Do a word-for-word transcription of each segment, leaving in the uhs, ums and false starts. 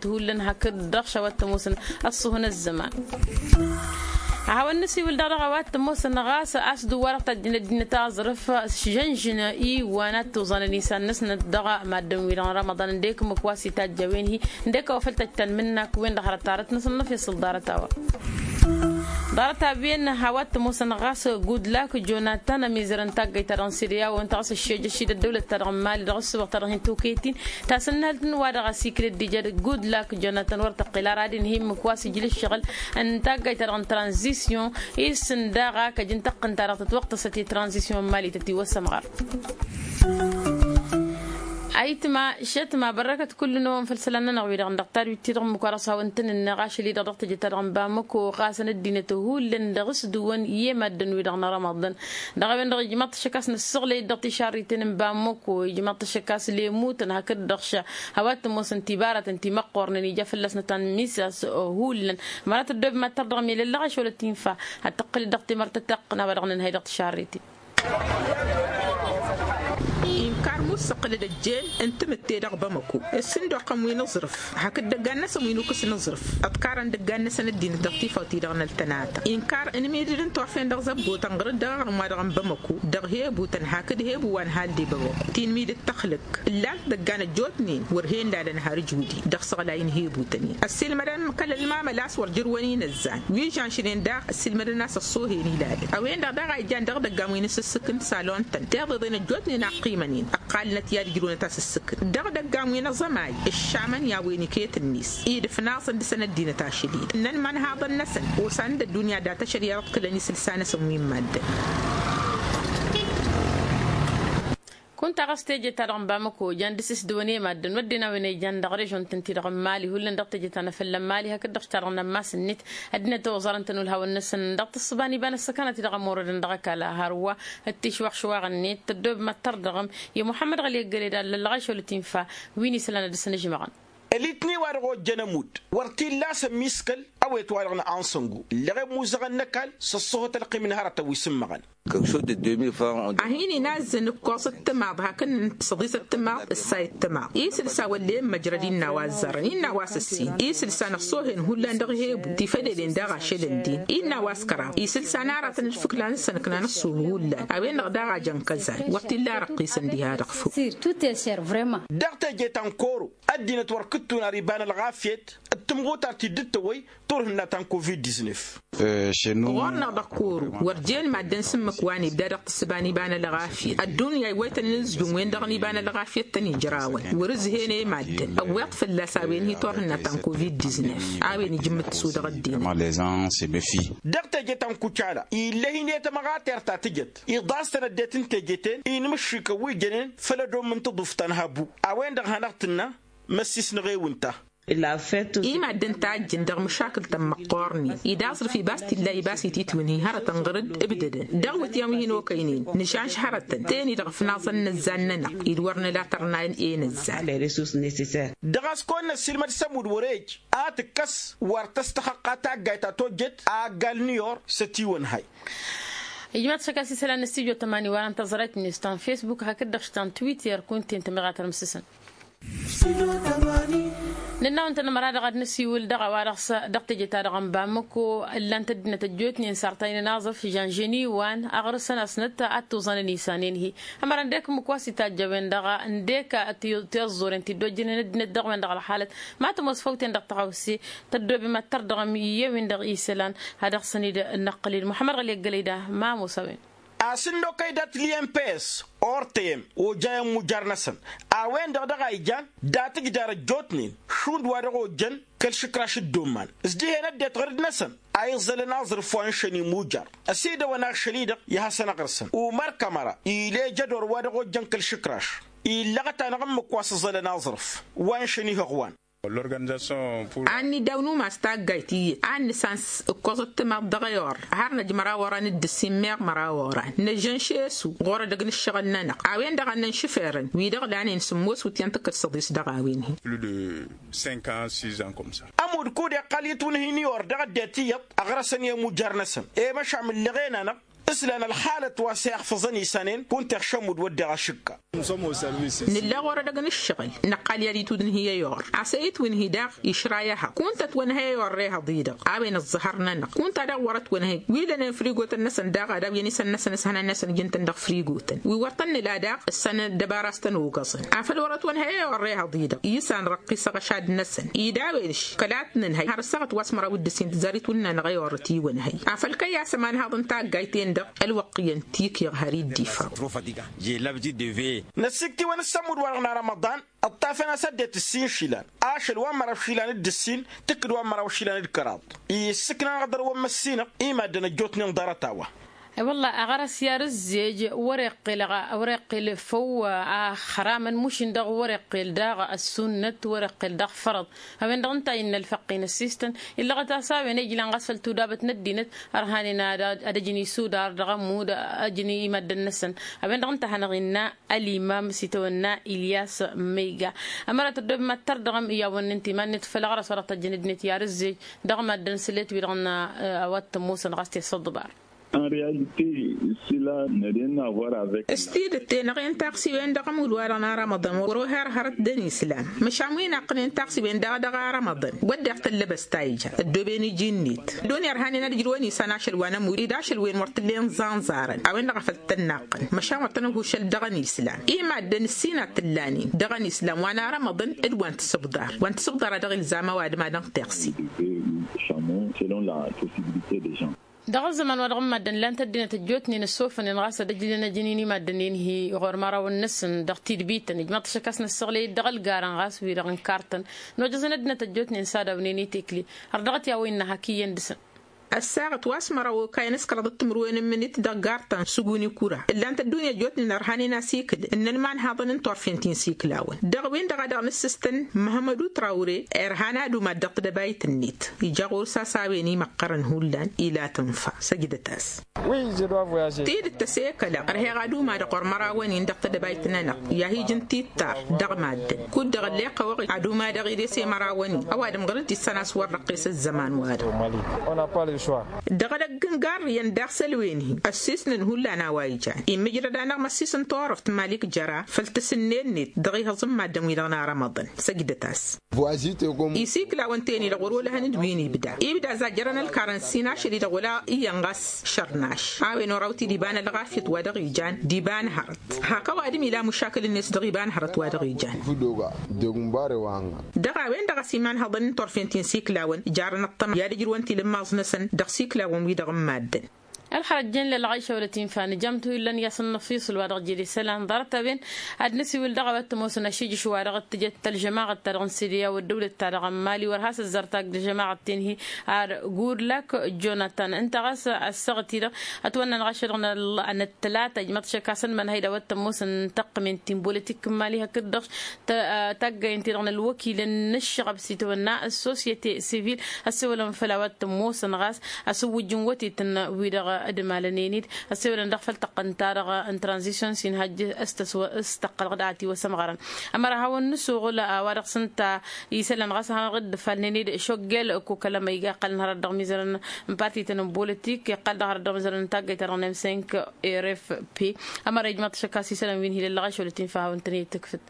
ăddinăt hullan hakd-dăɣ š-a-wa t-ămoosăn ăṣṣuhăn ăzzăman. Ad-hawăn-nǝsiwǝl daɣ dăɣ-a-wa t-ămoosăn ɣas a-s dăɣ-wa-dăɣ tajjăn ăddinăt aẓrǝf žănžǝn iwan ad-tuẓanăn isan-năsnăt dăɣ-maddǝn-wi-dăɣ n-rămăḍan ǝndek ǝmmǝk wa s-itajj a-wen-hi ǝndek a-wa făl tăjj tanmǝnnak-wen-dăɣ hărăt tarăt-năsăn n-afyăṣ s-ḍarăt-a-wa. Ḍarăt-a-wen a-wa t-ămoosăn ɣas gudlak jonatan ămizărăn taggayt-ta-dăɣ n-sirya wa ǝnta ɣas ăššejăš-dd ăddăwlăt-ta-dăɣ n-mali dăɣ-ăssuɣ-ta-dăɣ hin-tokăyăt-in tasǝnnalt n-wa-dăɣ a-s ikrăt d-ija gudlak jonatan wăr tăqqǝl ara ad-inhǝy ǝmmǝk wa s-ijla ǝššăɣǝl n-taggayt-ta-dăɣ n-tranzisyon. Isǝn daɣ a kăjǝn tăqqǝn-ta-dăɣ tătwăqtăsăt i-tranzisyon n-mali tătiwăssămɣar. Ayǝtma šătma bărrăkăt kull-năwăn făll-isălan-nănăɣ wi-dăɣ dăɣ-tadwit-ti-dăɣ ǝmmǝk wa dăɣ-s hawăn-tăn-ǝnneɣ ašăl-i-dăɣ dăɣ-teje-ta-dăɣ n-bamăko ɣasăn ăddinăt hullan dăɣ-s dăwăn i-maddǝn-wi-dăɣ n-rămăḍăn. Dăɣ-a-wen-dăɣ ijmaḍ-t ašăk a-s nǝssăɣlăy-dd dăɣ-tišarriten n-bamăko ijmaḍ-t ašăk a-s lemutăn hakd-dăɣ š-a-wa t-ămoosăn tibaratăn timăqqornen ija fălla-s nǝtanmisa s-hullan. Măra tăddob mad-tărdăɣ milăllăɣ ašolăt infa ad-tăqqǝl-dd dăɣ-timărt tătaqqǝn a-wa dăɣ-nǝnhăy dăɣ-tišarriten. Inkar mussăqqǝlăd ăjjeen n-timǝtte dăɣ-bamăko ǝssǝndoqăn wi n-aẓrǝf hakd dăggan-năsăn wi n-ukǝs n-aẓrǝf. Ǝḍkarăn dăggan-năsăn ăddinăt dăɣ-tifawt-i-dăɣ n-ăltănata inkar ǝnmidǝd n-turfen dăɣ-zăbbotăn ɣǝrǝd dăɣ-aɣrǝm-wa-dăɣ n-bamăko dăɣ-hebutăn hakd hebu wa n-halde bamăko tinmidǝd tăxlǝk. Ǝllan-t dăggan ăjjootnen wăr hen-lalăn har ǝjwǝdi dăɣ-isăɣlay n-hebutăn-in ăssiilmădăn kăl-ălmamăl a-s wăr jărwăn inăzzan wi žănšnen daɣ ăssiilmădăn a-s ăṣṣoohen ilalăn. A-wen-dăɣ daɣ a ijjan dăɣ-idăggan wi n-asǝssǝk n-salon-tăn tiḍeḍen ăjjootnen a ăqqimăn-in ăqqalnăt i-ad-ǝjrǝwnăt asǝssǝk-n dăɣ-idăggan wi n-aẓămay. Ǝššamăn i-a-wen iket-net i-dd-ǝfnaẓăn dăɣ-săn ăddinăt ašăl-i-dăɣ ǝnnăn imanhaḍăn-năsăn osan-dd ăddunya data šăriya dăɣ-t kălăn isǝlsa-năsăn wi n-maddǝn. Kunta ɣas teje-ta-dăɣ n-bamăko jan dăɣ-s isdǝwăn i-maddǝn wădden a-wen a ijan dăɣ-režon-tăn-ti-dăɣ n-mali hullan dăɣ-teje-ta n-afălla n-mali hakd-dăɣ ta-dăɣ n-ammas-net. Ăddinăt oẓarăn-tăn ulhawăn-năsăn dăɣ-tǝssǝba n-iba n-ăssăkănat-i-dăɣ ămorădăn dăɣ-ăkall a hărwa ăttišwaɣšwaɣ-net tăddob mad-tărdăɣăm. I-muḥămmăd ɣăli ăggăled a ǝllăllăɣ ašăl tinfa wi n-isălan ad-dăr-săn ǝžmăɣăn. Ălitni-wa-dăɣ ojjăn ămudd wăr t-illa a-s ămmiskăl ăwet-wa-dăɣ n-ansăngu ǝlleɣ i-ămmuẓăɣăn n-ăkall s-ăṣṣăhot ălqim n-hărătăn wi s-ǝmmăɣăn. A hin-inazzăn ǝkkoẓ d-timaḍ hakd n-săḍis d-timaḍ ǝssay d-timaḍ isǝlsa wăllen măjrăd innă a-wa ăzzarăn innă a-wa s-ăssin isǝlsa n-ăṣṣoohen hullan dăɣ-hebu tifădeden daɣ ašăl ǝndin innă a-wa s-kăraḍ isǝlsa n-aratăn d-fǝkla n-săn ǝknan ăṣṣooh hullan a-wen-dăɣ daɣ a jăn kăzay wăr t-illa răqqisăn diha-dăɣ făw. Dăɣ-teje ta n-koro ăddinăt wăr kǝttun ar iba n-ălɣafyăt d-tǝmɣutar ti dd-tăwăy turhǝnna ta n-covid-diznef. Ɣur-năɣ dăɣ-koro wăr jen maddǝn s-ǝmmǝk wa n-ibda dăɣ-tǝssǝba n-iba n-ălɣafyăt ăddunya iwwăytăn inǝzjum-wen-dăɣ n-iba n-ălɣafyăt tăn-ijrawăn wăr-ǝzhen i-maddǝn ăwweḍ fălla-s a-wen hi-turhǝnna ta n-covid-diznef a-wen ijǝmmǝt s-u-dăɣ ăddinăt. Dăɣ-teje ta n-kucala ill'-e hin-e tamăɣatert ta tǝjăt iḍas-tăn ăddinăt n-teje-ten inmǝššikăn wi jănen făll-ădomm n-taḍuft ta n-habu. A-wen-dăɣ hanăɣ-tǝnna măssis n-eɣew ǝnta. I-maddǝn tajjǝn dăɣ-măšakǝl-tăn măqqoornen-i d-aẓrǝf ibas t-illa ibas ititwǝnhi hărătăn ɣǝr-dd ǝbdădăn dăɣ-iwǝtyan wi hin-okăynen nǝšanš hărătăn teni-dăɣ ǝfnaẓăn inăzzan-nănăɣ-dd wăr nǝla tărnayăn i-inăzzan. Dăɣ-a-s kăwăn-năssiilmăd s-ămudd wăr-e ăj a tǝkkăs wăr tăstăxăqqa taggayt ta tojjet a ăggal n-iyor s-ătiwănhay. Ijmaḍ-t šăkk a-s isălan n-studyo tămani wa n-tăẓrayt-net ta n-facebook hakd-dăɣ ta n-twitter kunta-en tămiɣatăr mǝssǝsăn. Nǝnnaw ǝnta n-ămăra-dăɣ ad-nǝsiwǝl dăɣ-a-wa dăɣ-s dăɣ-teje-ta-dăɣ n-bamăko ǝllan-t ăddinăt ăjjootnen sartaynen aẓrǝf žănžen iwan aɣrǝsăn-asnăt ad-tuẓanăn isanen-hi. Ămăra ǝndek ǝmmǝk wa s-itajj a-wen-dăɣ ǝndek tiẓẓuren ti dd-ojjănen ăddinăt dăɣ-wen-dăɣ ălxalăt ma tămoos făw-ten dăɣ-tăɣawse tăddoobem ad-tărdăɣăm i-wen-dăɣ isălan. Ad-dăɣ-săn-dd-năqqǝl-dd muḥămmăd ɣăli ăggălăy da ma ămoos a-wen. A-s ǝnn'-okăy dat-ǝlli n p s ortăyăm ojayăn imujar-năsăn a-wen-dăɣ dăɣ-a ijan dat-ǝjdar ăjjootnen Šund wa dăɣ-ojjăn kăl-išǝkraš dd-umman s-dihen ăddinăt ɣur-dd-năsăn a iẓẓălăn aẓrǝf wa n-išăn imujăr. Ăsidăwăn ašăl-i-dăɣ i-ad-hasăn-ăɣrǝsăn umăr kămăra ileja dur wa dăɣ-ojjăn kăl-išǝkraš. Illăɣăt-anăɣ ǝmmǝk wa s-ǝẓẓălăn aẓrǝf wa n-išăn ihăɣwan. An n-idaw n-umas taggayt iyyăt a ǝnnǝsăn s-ǝkkoẓăt timaḍt dăɣ-e-or har năj măraw oran d-ǝssin meɣ măraw oran năžžăn šesu ɣur-edăgg n-ǝššăɣǝl-nănăɣ. A-wen-dăɣ ad-năn-šǝferăn wi-dăɣ lanen sǝmmos wǝtyan tǝkkǝd săḍis dăɣ-a-wen-hi. Ămudd kud iqqal itwǝnhǝy n-i-or dăɣ-ăddinăt iyyăḍ ăɣrăsăn i-imujăr-năsăn i-măšan mǝllăɣen-anăɣ. S-lan ălxalăt wa s-iɣfăẓăn isanen kunta iɣšămmud wădden ašǝkka. Nǝlla ɣur-edăgg n-ǝššăɣǝl năqqal i-ad-itwǝdǝnhǝy i-or a-s e-itwǝnhǝy daɣ išra i-ehăḍ kunta ătwănhăy i-or rehăḍ-i-dăɣ. A-wen ăẓẓăhăr-nănăɣ kunta daɣ wăr-ătwănhăy wi lănen frigotăn-năsăn daɣ ad-awǝyăn isăn-năsăn s-hănan-năsăn ijǝn-tăn dăɣ-frigotăn wi wăr tăn-nǝla daɣ. S-săn ăddăbara a-s tăn-ogăẓăn afăl wăr-ătwănhăy i-or rehăḍ-i-dăɣ isăn răqqis aɣăšad-năsăn ida a-wen-š kăla t-nǝnhăy har ăssaɣăt wa s-măraw d-ǝssin tǝzzar itwǝnnanăɣ i-or ătiwănhăy. Afăl kăy-a-s ămanhaḍ n-taggayt-en-dăɣ ălwăqq iyyăn tikǝyăɣ har dd-ifăr. Năssikt'-iwăn s-ămmud-wa-dăɣ n-arămăḍan ǝṭṭafăn-as ăddinăt ǝssin išilan ašăl wa n-măraw išilan d-ǝssin tǝkkǝd wa n-măraw išilan d-kăraḍ. Issǝkna-năɣ dăr-wăn măssinăɣ i-maddǝn ăjjootnen ḍarăt-a-wa. I-wălla aɣărăs i-ad-ǝzzej wăr-iqqel wăr-iqqel făw. Axramăn mušin dăɣ-wăr-iqqel daɣ ăssunnăt wăr-iqqel daɣ fărăḍ. A-wen-dăɣ ǝnta a innă ălfăqqi n-ăssistăn illăɣăt-as a-wen ejlan ɣas făll-tudabăt n-ăddinăt ărhanen ad-ăjǝn isudar dăɣ-ămmud ăjǝn i-maddǝn-năsăn. A-wen-dăɣ ǝnta a hanăɣ-innă ălimam s-itawănna ilyas. Măyga ămăra tăddob mad-tărdăɣăm i-a-wăn n-inta iman-net făll-aɣrăs wa dăɣ-tăjjăn ăddinăt i-ad-ǝzzej dăɣ-maddǝn s-let wi-dăɣ n-a-wa t-ămoosăn ɣas tesăḍbar. S-tidǝt-te-năɣ i-n taɣsiwen dăɣ-ămudd-wa-dăɣ n-arămăḍăn wăr-oher hărăt d-ănislam. Măšan wi naqqǝnen taɣsiwen daɣ dăɣ-arămăḍăn wădden tăllăbăst ta ija ăddooben iji-net. Ăddunya ărhanen ad-ǝjrǝwăn isan ašăl wa n-ămudd ed ašăl-wen wăr t-ǝllen ẓanẓarăn a-wen-dăɣ a făl t-ănnaqqăn. Măšan wăr tăn-ăhušăl dăɣ-ănislam i-maddǝn ǝssin ad-t-ǝllanen dăɣ-ănislam wa n-arămăḍăn d-wa n-tisǝbḍar wa n-tisǝbḍar a dăɣ-ilzam ăwadǝm ad-ănɣ tiɣsi. Dăɣ-ăzzăman wa dăɣ-n maddǝn ǝllan-t ăddinăt ăjjootnen ăssofănen ɣas ad-ăjlăn ăjǝn-in i-maddǝn-en-hi ɣur-imărawăn-năsăn dăɣ-tidbităn ijmăḍ-t ašăk a-s năssăɣlăy-dd dăɣ-ălgarăn ɣas wi-dăɣ n-kartăn. Nojăẓăn ăddinăt ăjjootnen s-ad-awnen i-tekli. Ărdăɣăt i-a-wa innă hak iyyăn dăɣ-săn. Ăssaɣăt wa s-măraw okayăn s-kăraḍăt timǝrwen n-imǝnit dăɣ-gartăn s-uguni kura ǝllan-t ăddunya ăjjootnen ărhanen asikǝl ǝnnăn imanhaḍăn n-turfen ti n-isiklawăn dăɣ-wen-dăɣ a dăɣ-nǝssǝstăn. Măhămădu trawre irhan ad-umad dăɣ-tedăbayt-net ija ɣur-s a-s a-wen imăqqărăn hullan ila tǝnfa. Săjdăt-as. Tidǝt tăsekălăɣ ărheɣ ad-umadăɣ ɣur-mărawăn-in dăɣ-tedăbayt-nănăɣ i-ad-hi-ijǝn tittar dăɣ-maddǝn kud-dăɣ ǝlleɣ kăwăɣ ad-umadăɣ ides i-mărawăn-in ăwadǝm ɣur-dd-issăn a-s wăr răqqes ăzzăman-wa-dăɣ. Dăɣ-edăgg n-garrǝyăn daɣ s-ălwen-hi ăssisnăn hullan a-wa ijan immǝjrăd-anăɣ măssis n-turăft malik jăra făll-tǝsǝnnen-net dăɣ-ihăẓ n-maddǝn-wi-dăɣ n-arămăḍăn. Săjdăt-as. Isiklawăn-ten-i-dăɣ wăr-olăhăn d-win ibda ibda zajjărăn ălkarăn ǝssin ašăl-i-dăɣ wăla iyyăn ɣas šărnaš. A-wen oraw-t-dd iba n-ălɣafyăt wa dăɣ-ijan d-iba n-hărăt. Hak ăwadǝm ila mušakǝl-net dăɣ-iba n-hărăt wa dăɣ-ijan. Dăɣ-a-wen-dăɣ a-s imanhăḍăn n-turfen ti n-siklawăn jarăn ăṭṭăma i-ad-ǝjrǝwăn tilǝmmaẓ-năsăn dăɣ-siklawăn-wi-dăɣ n-maddǝn. Ălxărăt jen lălɣayša wăla tinfa nǝjam tuhǝllan i-asăn n-ăfiṣǝl wa dăɣ-jere isălan ḍarăt-a-wen. Ad-nǝsiwǝl dăɣ-a-wa t-ămoosăn ašijǝš wa dăɣ-t tǝjăt ălžămaɣăt-ta-dăɣ n-siriya wăr dăwlăt-ta-dăɣ n-mali wăr has-ăzzar tagg ălžămaɣăt-ten-hi. Ar gurlak jonatan ǝnta ɣas ăssaɣăt-i-dăɣ ătwănna n-ɣašăl dăɣ-năl n-ăttălata ijmăḍ šăkasăn mănhăy d-a-wa t-ămoosăn n-taqqǝmen ti n-bolitik n-mali hakd-dăɣ. Taggayen-ti-dăɣ n-ălwăkilăn n-ǝššăɣăb s-itwănna ăssosyete sivil. Ăssewălăn făll-a-wa t-ămoosăn ɣas ăsǝwwǝjjǝn wătetăn-wi-dăɣ dd-malănen-dd ăssewălăn dăɣ-făll-tăqqăn-ta-dăɣ n-tranzisyon s-inhăjj s-tăqqălăɣ d-atiwăsăm ɣărăn. Ămăra hawăn-nǝsuɣǝl a-wa dăɣ-s ǝnta isălan ɣas hanăɣ-dd-ǝfalnen-dd šoggel ăkko kăl-ămăyga ǝqqălăn hărăt dăɣ-imizărăn n-parti-tăn n-bolitik iqqăl dăɣ-hărăt dăɣ-imizărăn n-taggăyt-ta-dăɣ n-m cinq. Rfp. Ămăra ijmăḍ-t šăkk a-s isălan wi n-hi-lăllăɣ ašăl tinfa a hawăn-tăn-dd-tǝkfǝd.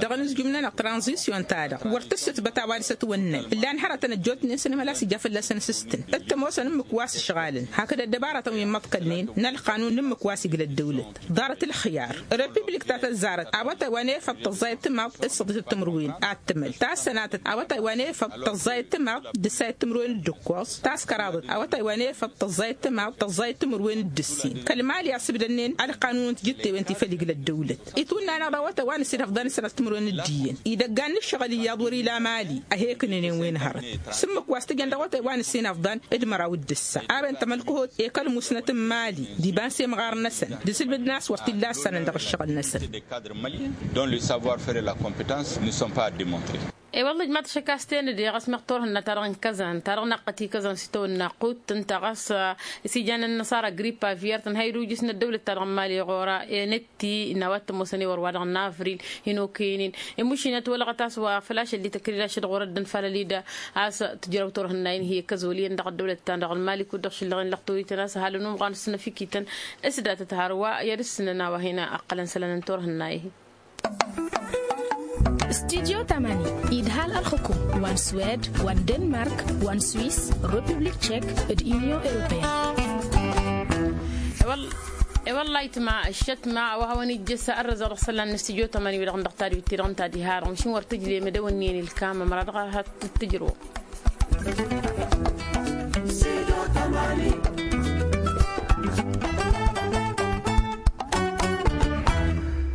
Dăɣ-inǝzjum-nănăɣ tranzisyon-ta-dăɣ wăr tǝssǝtbăt a-wa dăɣ-s ătwănnăy ǝllan hărătăn ăjjootnen s-ănhăl a-s ija fălla-săn s-ǝstǝn t-ămoosăn ǝmmǝk wa s-ǝšɣalăn hakd ăddăbarătăn wi n-imăḍkălnen n-ălqanun n-ǝmmǝk wa s-igla ăddăwlăt. Ḍarăt ǝlxǝyar repiblik ta tăzzarăt awătay wa n-efăḍ tăẓẓayăt timaḍt d-săḍisăt timǝrwen ad-tǝmăl tassănatăt awătay wa n-efăḍ tăẓẓayăt timaḍt d-ǝssayăt timǝrwen d-ǝkkoẓ taskăraḍăt awătay wa n-efăḍ tăẓẓayăt timaḍt tăẓẓayăt timǝrwen d-ǝssin kăl-mali a sǝbdănnen ălqanun n-tijǝttewen ti făll-igla ăddăwlăt. Itwǝnna-năɣ dăɣ-awătay wa n-ǝssin afḍăn d-sănat timǝrwen d-iyyăn idăggan n-ǝššăɣǝl iyyăḍ wăr-ila mali. A he-ǝknǝnen wi n-hărăt s-ǝmmǝk wa s-tǝjăn dăɣ-awătay wa n-ǝssin afḍăn d-măraw d-ǝssa arrăy n-tamălkăhot ekăl musnăt n-mali d-iba n-semɣar-năsăn d-asǝlbǝd n-a-s wăr t-illa ǝssanăn dăɣ-ǝššăɣǝl-năsăn. Dont le savoir faire la competence nu sont pas a demontrer. E-wălla ǝjmaḍ-t ašăk a-s tenăde ɣas meɣ turhǝnna-ta-dăɣ n-kăzan ta-dăɣ naqqăt i-kăzan s-itawănna qut ǝnta ɣas isigăn n-inăṣara gripa avyert ănhăy d-ujǝs n-ăddăwlăt-ta-dăɣ n-mali ɣur-e n-eti n-a-wa t-ămoosăn i-wăr wa-dăɣ n-avril hin-okăynen. Imušinăt wălăɣăt a-s wa făl ašăl d-takăridašăt ɣur-ăddin făll-ălida a-s tǝjrăw turhǝnna-in hi-kăzoliyăn dăɣ-ăddăwlăt-ta-dăɣ n-mali kud-dăɣ šǝllăɣen lăxtorităn a-s ăhalăn umɣan s-năfikităn s-datăt hărwa i-ad-ǝssǝnăn a-wa hin-ăqqălăn isălan n-turhǝnna-i-hi. Studyo tamani idhal ălxukum wa n-swed wa n-denmark wa n-swis, republik tšek d-unyon europeyăn. E-wălla ayǝtma ǝššătma a-wa hawăn-ijjăs ărrăzăɣ dăɣ-isălan n-studyo tamani wi-dăɣ n-dăɣ tadwit-ti-dăɣ ǝnta diha-dăɣ măšin wăr tǝjle mădăw ǝnnin ilkam ămăra dăɣ-ad-tǝjrǝwăm.